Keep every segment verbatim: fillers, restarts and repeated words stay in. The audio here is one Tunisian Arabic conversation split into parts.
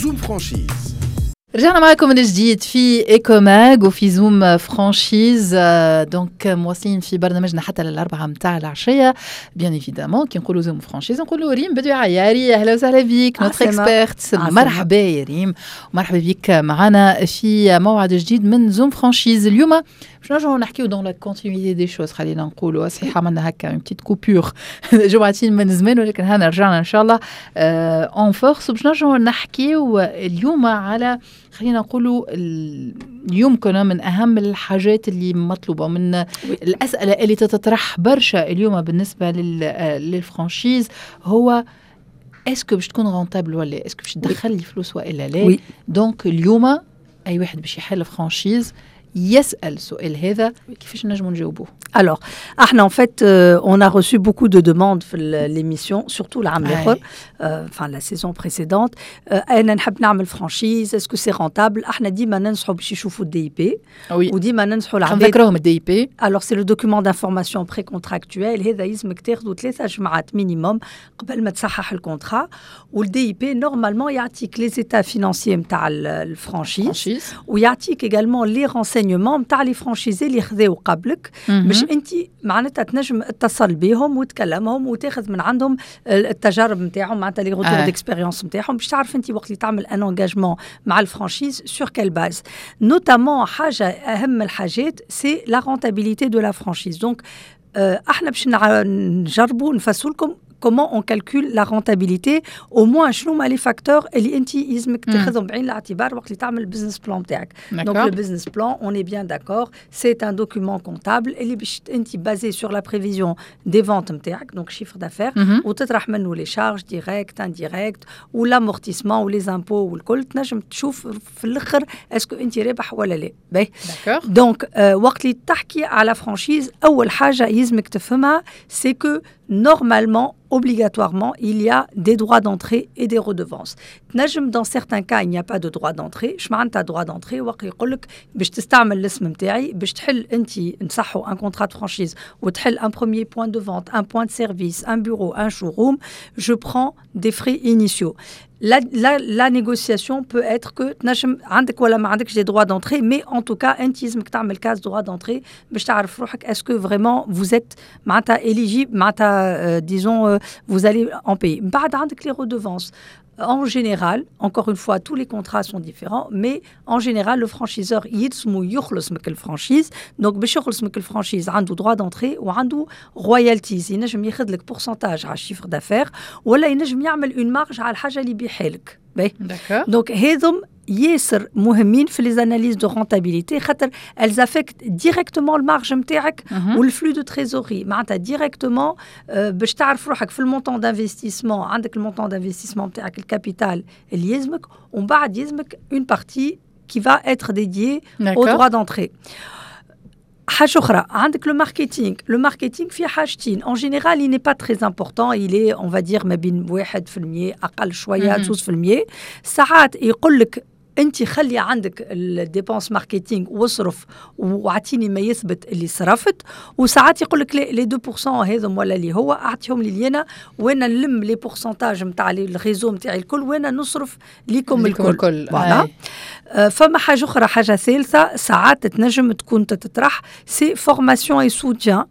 Zoom Franchise. رجعنا معكم من جديد في Ecomag وفي Zoom Franchise، donc مواصلين في برنامجنا حتى للأربعة متاع العشية. Bien évidemment، كي نقولوا Zoom Franchise نقولوا ريم بدوي عياري. اهلا وسهلا بك، notre experte. مرحبا يا ريم ومرحبا بك معنا في موعد جديد من Zoom Franchise. اليوم باش نرجعوا نحكيو dans la continuité des choses، خلينا نقولوا. صحيح عملنا هكا une petite coupure جمعتين من زمان، ولكن هانا رجعنا ان شاء الله en force باش نرجعوا نحكيو اليوم على، خلينا نقولوا، يمكن من اهم الحاجات اللي مطلوبه، من الاسئلة اللي تتطرح برشا اليوم بالنسبة لل franchise، هو est-ce que باش تكون rentable ولا est-ce que باش تدخل لي فلوس والا لا. Donc اليوم اي واحد باش يحل franchise يسأل السؤال هذا، كيفاش نجموا نجاوبوه؟ Alors, احنا en fait, euh, on a reçu beaucoup de demandes في l'émission, surtout العام الاخر, euh, enfin la saison précédente. انا نحب نعمل franchise، est-ce que c'est rentable؟ احنا ديما ننصحوا باش يشوفوا ال DIP. وديما ننصحوا العباد نذكرهم ال DIP. Alors c'est le document d'information précontractuel. هذا يلزمك تاخذوا ثلاثة جمعات minimum قبل ما تصحح ال contrat. وال DIP normalement يعطيك les états financiers نتاع ال franchise ويعطيك également les renseignements نتاع les franchisés اللي خذاو قبلك، باش انت معناتها تنجم تتصل بهم وتكلمهم وتاخذ من عندهم التجارب نتاعهم، معناتها les retours d'expérience نتاعهم، باش تعرف انت وقت اللي تعمل un engagement مع ال franchise sur quelle base. Notamment حاجة اهم الحاجات، c'est la rentabilité de la franchise. Donc احنا باش نجربوا نفسروا لكم comment on calcule la rentabilité، au moins شنو هما les facteurs اللي انت يلزمك تاخذهم بعين الاعتبار وقت اللي تعمل ال business plan تاعك. Donc le business plan، on est bien d'accord، c'est un document comptable اللي باش انت basé sur la prévision des ventes نتاعك، donc chiffre d'affaires، وتطرح منه les charges directes، indirectes، و l'amortissement و les impôts والكل، تنجم تشوف في الاخر est-ce que انت رابح ولا لا. باهي، donc وقت اللي تحكي على franchise، اول حاجة يلزمك تفهمها c'est que normalement، obligatoirement، il y a des droits d'entrée et des redevances. تنجم dans certains cas il n'y a pas de droit d'entrée. اش معناتها droit d'entrée؟ وقت يقول لك باش تستعمل الاسم نتاعي، باش تحل انت نصحوا un contrat de franchise وتحل un premier point de vente، un point de service، un bureau، un showroom، je prends des frais initiaux. La, la, la négociation peut être que تنجم عندك ولا ما عندكش des droits d'entrée، mais en tout cas انت لازمك تعمل case droit d'entrée باش تعرف روحك est-ce que vraiment vous êtes معناتها éligible، معناتها disons vous allez en payer. بعد عندك les redevances. En général، encore une fois، tous les contrats sont différents، mais en général، le franchiseur يلزمو يخلص من ال franchise. Donc باش يخلص من ال franchise، عنده droit d'entrée وعنده royalties. ينجم ياخذ لك pourcentage على ال chiffre d'affaires ولا ينجم يعمل une marge على الحاجة اللي يبيعها لك. Donc هذم ياسر مهمين في les analyses de rentabilité، خاطر elles affectent directement ال marge نتاعك وال flux de trésorerie، معناتها directement باش تعرف روحك في ال montant d'investissement. عندك ال montant d'investissement نتاعك، ال capital اللي يلزمك، ومن بعد يلزمك une partie qui va être dédiée au droit d'entrée. حاجة اخرى، عندك le marketing. Le marketing فيه حاجتين. En général il n'est pas très important، il est on va dire ما بين واحد في المية، اقل شويه، اثنين في المية. ساعات يقول لك انت خلي عندك ال dépenses marketing واصرف واعطيني ما يثبت اللي صرفت، وساعات يقول لك les deux pour cent هذم ولا اللي هو اعطيهم لي انا وانا نلم les pourcentages نتاع ال réseau نتاعي الكل وانا نصرف ليكم الكل. الكل. Voilà. آه، فما حاجة اخرى، حاجة ثالثة ساعات تنجم تكون تتطرح، c'est formation et soutien.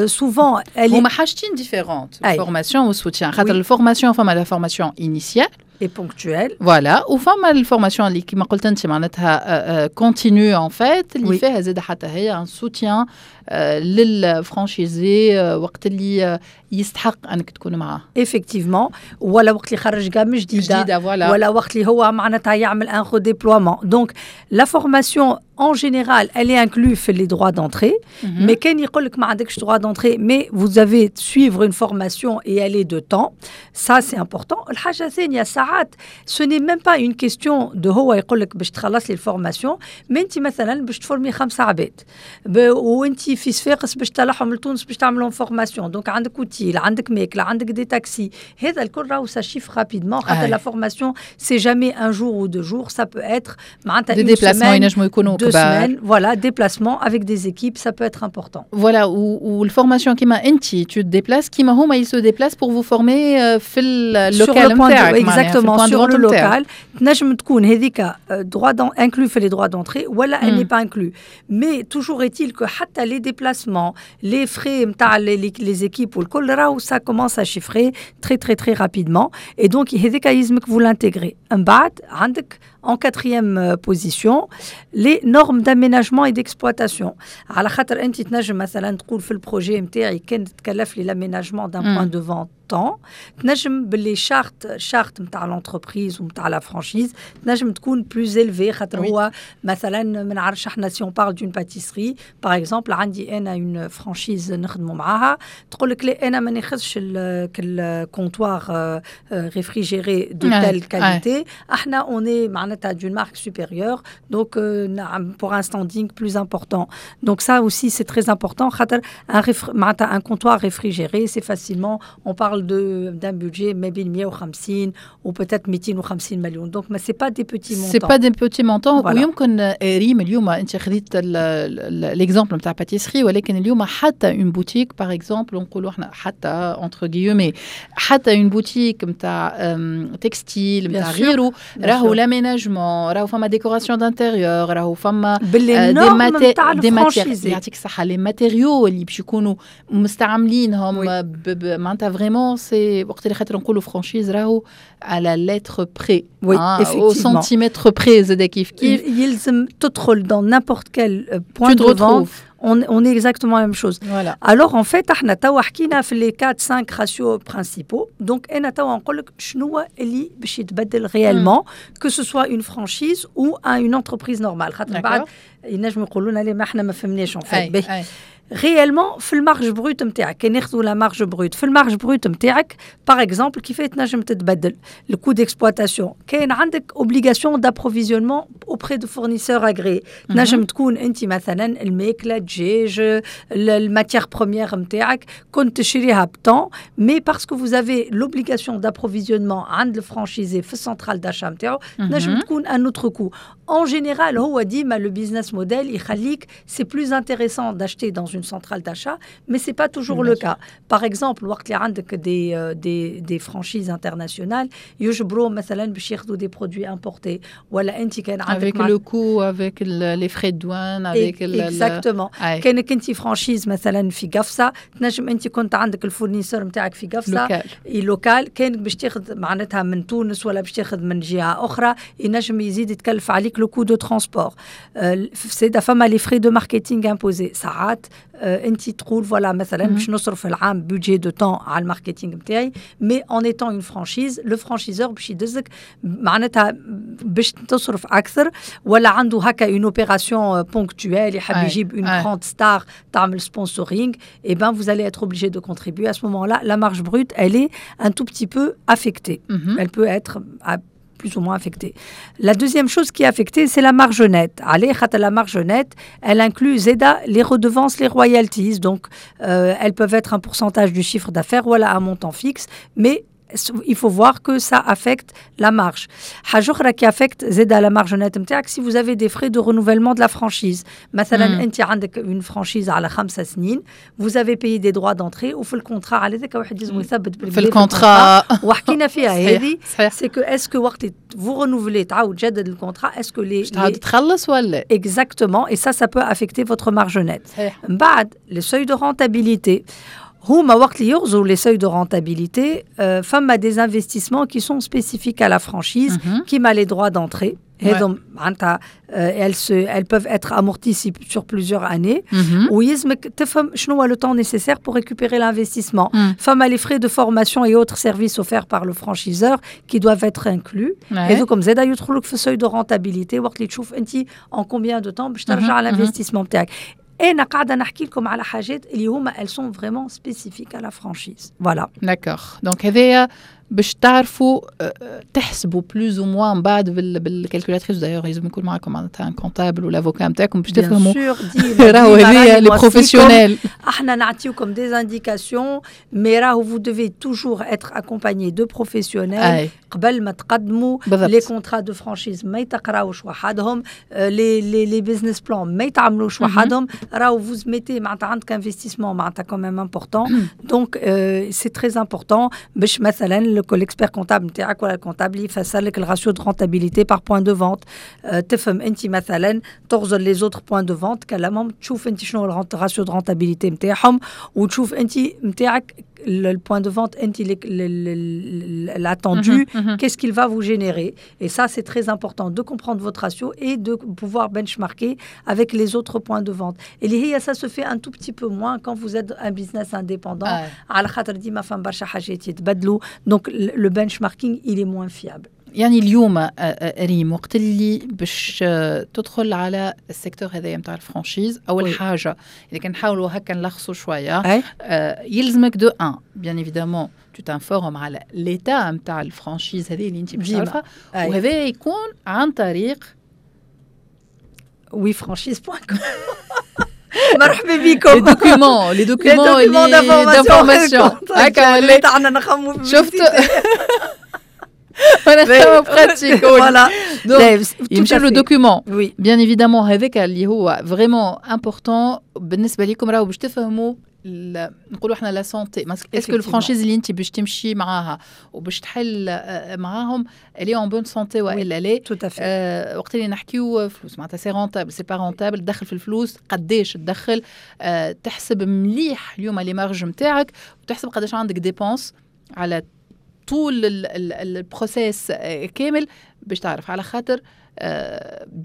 Souvent هما حاجتين différentes، formation و soutien، خاطر ال formation فما la formation initiale et ponctuelle. Voilà، وفما ال formation اللي كيما قلت انت معناتها continue en fait، اللي فيها زاد حتى هي un soutien لل franchisé وقت اللي يستحق انك تكون معاه. Effectivement، ولا وقت اللي خرج gamme جديده. جديده، voilà. ولا وقت اللي هو معناتها يعمل un redéploiement. Donc la formation en général elle est inclue في les droits d'entrée، mais كان يقول لك ما عندكش droit d'entrée mais vous avez suivre une formation et elle est de temps، ça c'est important. الحاجة الثانيه، ساعات ce n'est même pas une question de هو يقول لك باش تخلص لي ال formation، mais انت مثلا باش تفورمي خمسة عباد وانت في صفاقس باش تطلعهم لتونس باش تعملهم formation، donc عندك اوتيل، عندك ماكله، عندك des taxis، هذا الكل راهو ça chiffre rapidement، خاطر la formation c'est jamais un jour ou deux jours، ça peut être معناتها des déplacements ينجموا يكونوا كبار، voilà، déplacement avec des équipes، ça peut être important. voilà، وال formation كيما انت tu te déplaces، كيما هما ils se déplacent pour vous former في ال local نتاعك. exactement، sur le local. تنجم تكون هذيك droit inclus في les droits d'entrée ولا elle n'est pas inclus، mais toujours est-il que حتى les déplacements، les frais نتاع les équipes والكل، راهو ça commence à chiffrer très très très rapidement et donc هذيك يلزمك vous l'intégrez. من بعد عندك en quatrième position les normes d'aménagement et d'exploitation، على خاطر انت تنجم مثلا تقول في ال projet نتاعي كان تكلف لي l'aménagement d'un point de vente tant، تنجم ب les chartes charte نتاع l'entreprise ونتاع la franchise تنجم تكون plus élevée، خاطر هو مثلا ما نعرفش احنا si on parle d'une pâtisserie par exemple، عندي انا une franchise نخدموا معاها، تقول لك لا، انا ما ناخذش ال comptoir réfrigéré de telle qualité، احنا on est معناتها d'une marque supérieure، donc pour un standing plus important. donc ça aussi c'est très important، خاطر un معناتها un comptoir réfrigéré c'est facilement، on parle d'un budget ما بين مية وخمسين ou peut-être ميتين وخمسين مليون، donc mais c'est pas des petits montants. c'est pas des petits montants. ويمكن ريم اليوم انت خذيت l'exemple نتاع pâtisserie، ولكن اليوم حتى une boutique par exemple، نقولوا احنا حتى entre guillemets حتى une boutique نتاع textile نتاع غيره، راهو l'aménagement، راهو فما décoration d'intérieur، راهو فما des maté des matières، يعطيك الصحه، les matériaux اللي باش يكونوا مستعملينهم، معناتها vraiment c'est وقت اللي خاطر نقولوا franchise راهو à la lettre près، oui، au centimètre près زاد كيف كيف. يلزم تدخل dans n'importe quel point de vente، on, on est exactement la même chose. Voilà. Alors en fait احنا توا حكينا في les quatre cinq ratios principaux. Donc انا توا نقول لك شنو اللي باش يتبدل réellement، que ce soit une franchise ou une entreprise normale، خاطر بعد ينجموا يقولوا لنا ما احنا ما فهمناش en fait. réellement في ال marge brute نتاعك، كي ناخذوا la marge brute، في ال marge brute نتاعك par exemple كيف تنجم تتبدل؟ ال coût d'exploitation، كاين عندك obligation d'approvisionnement auprès de fournisseurs agréés، تنجم تكون انت مثلا الماكله، الدجاج، ال matière première نتاعك كنت تشريها ب tant، mais parce que vous avez l'obligation d'approvisionnement عند ال franchisé في ال centrale d'achat نتاعو، تنجم تكون un autre coût. en général هو ديما le business model يخليك c'est plus intéressant d'acheter dans une centrale d'achat، mais c'est pas toujours le cas. Par exemple، وقت اللي عندك des des des franchises internationales يجبروا مثلا باش ياخذوا des produits importés، ولا انت كان عندك avec le coût، avec les frais de douane، avec exactement. كانك انت franchise مثلا في قفصه، تنجم انت كنت عندك ال fournisseur نتاعك في قفصه local، local، كانك باش تاخذ معناتها من تونس ولا باش تاخذ من جهه اخرى، ينجم يزيد يتكلف عليك le coût de transport. زاده فما les frais de marketing imposés. ساعات انت تقول voilà مثلا باش نصرف العام budget de tant على ال marketing نتاعي، mais en étant une franchise، le franchiseur باش يدزك معناتها باش تصرف اكثر، ولا عنده هكا une opération ponctuelle، يحب يجيب une grande star تعمل sponsoring، et ben vous allez être obligé de contribuer. à ce moment-là la marge brute elle est un tout petit peu affectée، mm -hmm. elle peut être plus ou moins affectée. La deuxième chose qui est affectée, c'est la marge nette. علاه؟ خاطر la marge nette, elle inclut زادة les redevances, les royalties. Donc, euh, elles peuvent être un pourcentage du chiffre d'affaires ou un montant fixe, mais il faut voir que ça affecte la marge. حاجة أخرى qui affecte زادة la marge nette نتاعك، si vous avez des frais de renouvellement de la franchise. مثلا انت عندك une franchise على خمسة سنين، vous avez payé des droits d'entrée، وفي ال contrat على ذاك واحد لازم يثبت في ال contrat. وحكينا فيها هذه، c'est que est-ce que وقت vous renouvelez، تعاود تجدد ال contrat، est-ce que les تعاود تخلص ولا exactement، et ça ça peut affecter votre marge nette. صحيح. من بعد les seuils de rentabilité، هما وقت اللي يغزروا les seuils de rentabilité، فما des investissements qui sont spécifiques à la franchise، كيما les droits d'entrée. هذم معناتها elles se elles peuvent être amorties sur plusieurs années، ويلزمك تفهم شنو هو le temps nécessaire pour récupérer l'investissement. فما les frais de formation et autres services offerts par le franchiseur qui doivent être inclus. هذوكم زادا يدخلوك في seuil de rentabilité، وقت اللي تشوف انت en combien de temps باش ترجع l'investissement بتاعك. انا قاعده نحكي لكم على حاجات اللي هما elles sont vraiment spécifiques à la franchise، voilà. d'accord، donc هذايا باش تعرفوا تحسبوا plus ou moins من بعد بال calculatrice. D'ailleurs لازم يكون معكم معناتها un comptable ولا avocat نتاعكم باش تفهموا راهو هذه les professionnels. احنا نعطيوكم des indications, mais راهو vous devez toujours être accompagné de professionnels قبل ما تقدموا. Les contrats de franchise ما يتقراوش وحدهم, les les les business plans ما يتعملوش وحدهم. راهو vous mettez معناتها عندك investissement معناتها quand même important, donc c'est très important باش مثلا l'expert comptable نتاعك ولا ال comptable يفسر لك ال ratio de rentabilité par point de vente. تفهم انت مثلا تغزر les autres points de vente كلامهم, تشوف انت شنو ال ratio de rentabilité نتاعهم وتشوف انت نتاعك le point de vente l'attendu, qu'est-ce qu'il va vous générer. Et ça, c'est très important de comprendre votre ratio et de pouvoir benchmarker avec les autres points de vente. Et ça se fait un tout petit peu moins quand vous êtes un business indépendant. على خاطر ديما فما برشا حاجات يتبدلوا, donc le benchmarking, il est moins fiable. يعني اليوم ريم, وقت اللي باش تدخل على ال secteur هذايا نتاع ال franchise, اول oui. حاجه اذا كان نحاولوا هكا نلخصوا شويه, يلزمك de un, bien évidemment, tu t'informes على l'état نتاع ال franchise هذه اللي انت باش تعرفها, وهذا يكون عن طريق وي فرانشيز دوت كوم. مرحبا بكم. Les documents, les documents d'information هكا ولا عندنا نخمو. شفت انا pratique. Voilà. يمشي le document, bien évidemment, هذاك اللي هو vraiment important بالنسبه لكم راهو باش تفهموا نقولوا احنا la santé, est-ce que ال franchise اللي انت باش تمشي معاها وباش تحل معاهم, elle est en bonne santé والا لا. Tout à fait. وقت اللي نحكيو فلوس معناتها c'est rentable, c'est pas rentable, تدخل في الفلوس, قداش تدخل, تحسب مليح اليوم les marges نتاعك وتحسب قداش عندك dépenses على طول ال processus كامل باش تعرف. على خاطر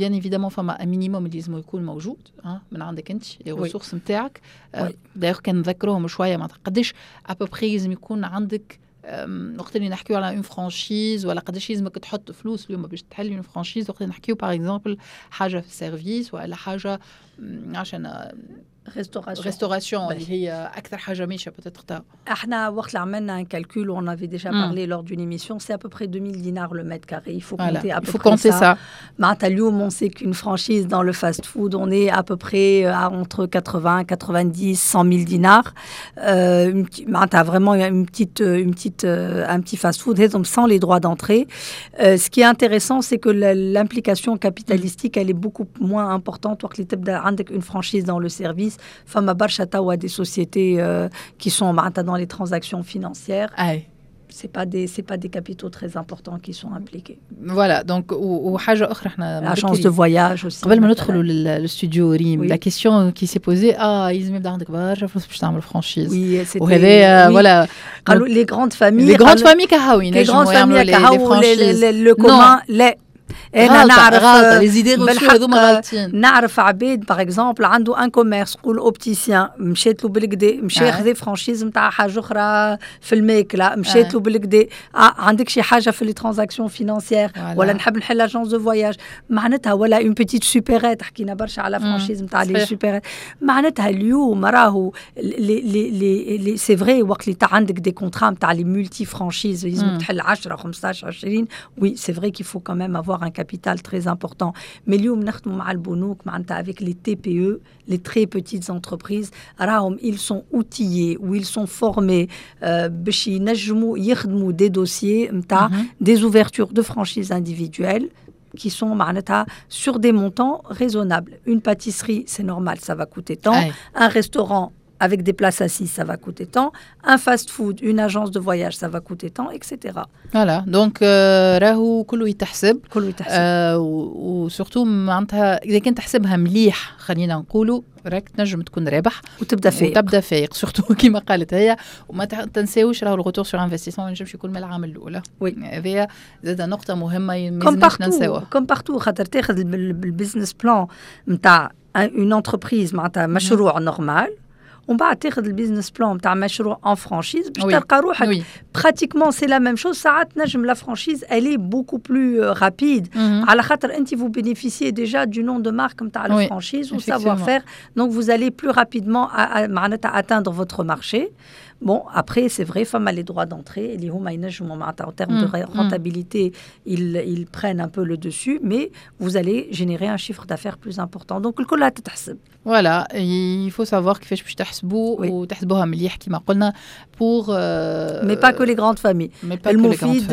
bien évidemment فما minimum اللي لازم يكون موجود من عندك انت, les ressources نتاعك. D'ailleurs كان نذكروهم شويه, معناتها قداش à peu près لازم يكون عندك وقت اللي نحكيو على une franchise, ولا قداش لازمك تحط فلوس اليوم باش تحل une franchise وقت اللي نحكيو par exemple حاجه في ال service ولا حاجه عشان restauration. Restauration اللي هي اكثر حاجه ماشيه peut-être. احنا وقت اللي عملنا un calcul, on avait déjà parlé lors d'une émission, c'est à peu près deux mille dinars le mètre carré. Il faut compter à peu il faut près compter ça. Ça. معناتها اليوم on sait qu'une franchise dans le fast-food, on est à peu près à entre quatre-vingts, quatre-vingt-dix, cent mille dinars. Euh, une petite- معناتها vraiment une petite une petite un petit fast-food هذم sans les droits d'entrée. Euh, ce qui est intéressant, c'est que la- l'implication capitalistique, elle est beaucoup moins importante وقت اللي تبدا عندك une franchise dans le service. فما برشا توا des sociétés euh, qui sont معناتها dans les transactions financières. اي C'est pas des c'est pas des capitaux très importants qui sont impliqués. Voilà, donc وحاجه اخرى احنا L'agence de voyage aussi. قبل ما مثلاً. ندخلوا للاستوديو ريم, Oui. la question qui s'est posée, اه لازم يبدا عندك برشا فلوس باش تعمل franchise. Oui, c'était وهذا oui. Voilà. قالوا les grandes familles. Les grandes قالوا- familles كهو les ينجموا grandes يعملوا familles les كهو franchises. Le commun لا. انا نعرف غلطه, les idées reçues بالحق هذوما غالطين. نعرف عباد par exemple عنده un commerce, قول opticien, مشيت له بالكدا, مشى آه. خذا franchise نتاع حاجه اخرى في الماكله, مشيت له بالكدا. آه عندك شي حاجه في les transactions financières Voilà. ولا نحب نحل agence de voyage معناتها, ولا une petite supérette, حكينا برشا على franchise نتاع les صحيح. Supérettes. معناتها اليوم راهو les les les les c'est vrai, وقت اللي عندك des contrats نتاع les multi-franchises, لازم تحل عشرة خمسطاش عشرين, oui, c'est vrai qu'il faut quand même avoir un capital très important. Mais اليوم نخدموا مع البنوك معناتها avec les T P E, les très petites entreprises, راهم ils sont outillés ou ils sont formés euh, باش ينجموا يخدموا des dossiers نتاع des ouvertures de franchises individuelles qui sont معناتها sur des montants raisonnables. Une pâtisserie, c'est normal, ça va coûter tant. أي. Un restaurant avec des places assises, ça va coûter tant. Un fast-food, une agence de voyage, ça va coûter tant, et cetera Voilà, donc راهو كله يتحسب. كله يتحسب. آه و surtout معناتها اذا كنت تحسبها مليح, خلينا نقولوا راك تنجم تكون رابح. وتبدا فايق. وتبدا فايق, surtout كيما قالت هي. وما تنساوش راهو ال retour sur investissement ما ينجمش يكون من العام الاولى. Oui. هذه زاد نقطه مهمه ما comme لازمناش ننساوها. Comme partout, خاطر تاخذ ال business plan نتاع une entreprise, معناتها مشروع normal, ومن بعد تاخذ ال business plan نتاع مشروع en franchise باش Oui. تلقى روحك Oui. Pratiquement c'est la même chose. ساعات نجم la franchise, elle est beaucoup plus euh, rapide على خاطر انت vous bénéficiez déjà du nom de marque نتاع Oui, ال franchise و effectivement. Savoir-faire, donc vous allez plus rapidement à- à- معناتها atteindre votre marché. Bon, après, c'est vrai, فما les droits d'entrée اللي هما ينجموا معناتها en termes de rentabilité, ils, ils prennent un peu le dessus, mais vous allez générer un chiffre d'affaires plus important. Donc الكل تتحسب. Voilà, il faut savoir كيفاش باش تحسبوا وتحسبوها مليح كما قلنا pour mais pas que les grandes familles. المفيد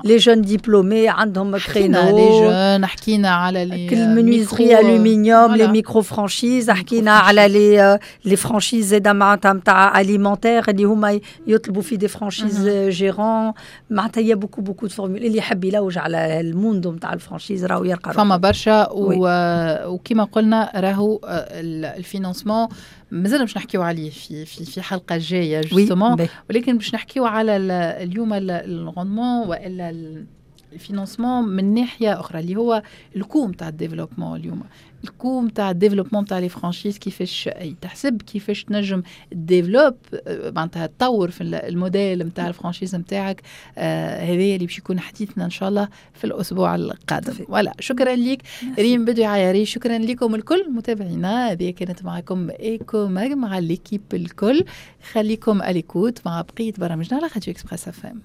les jeunes diplômés عندهم créneau. Les jeunes, حكينا على les menuiseries aluminium, les micro franchises, حكينا على les les franchises زاده معناتها نتاع alimentaire اللي هما يطلبوا في des franchises gérants. معناتها il y a beaucoup beaucoup de formules. اللي يحب يلوج على ال monde نتاع ال franchise راهو يلقى فما برشا. وكما قلنا راهو ال financement مازال باش نحكيو عليه في في في حلقة جاية justement، ولكن باش نحكيو على اليوم ال rendement والا ال financement من ناحية اخرى اللي هو ال coût نتاع ال développement. اليوم ال coût نتاع ال développement نتاع les franchises كيفاش تحسب، كيفاش تنجم développe معناتها تطور في الموديل نتاع ال franchise نتاعك. آه هذا اللي باش يكون حديثنا ان شاء الله في الاسبوع القادم. voilà، شكرا لك ريم بدوي عياري، شكرا لكم الكل متابعينا. هذه كانت معكم Eco Mag مع l'équipe الكل. خليكم à l'écoute مع بقية برامجنا على راديو Express FM.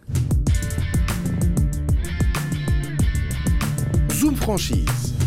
Zoom Franchise.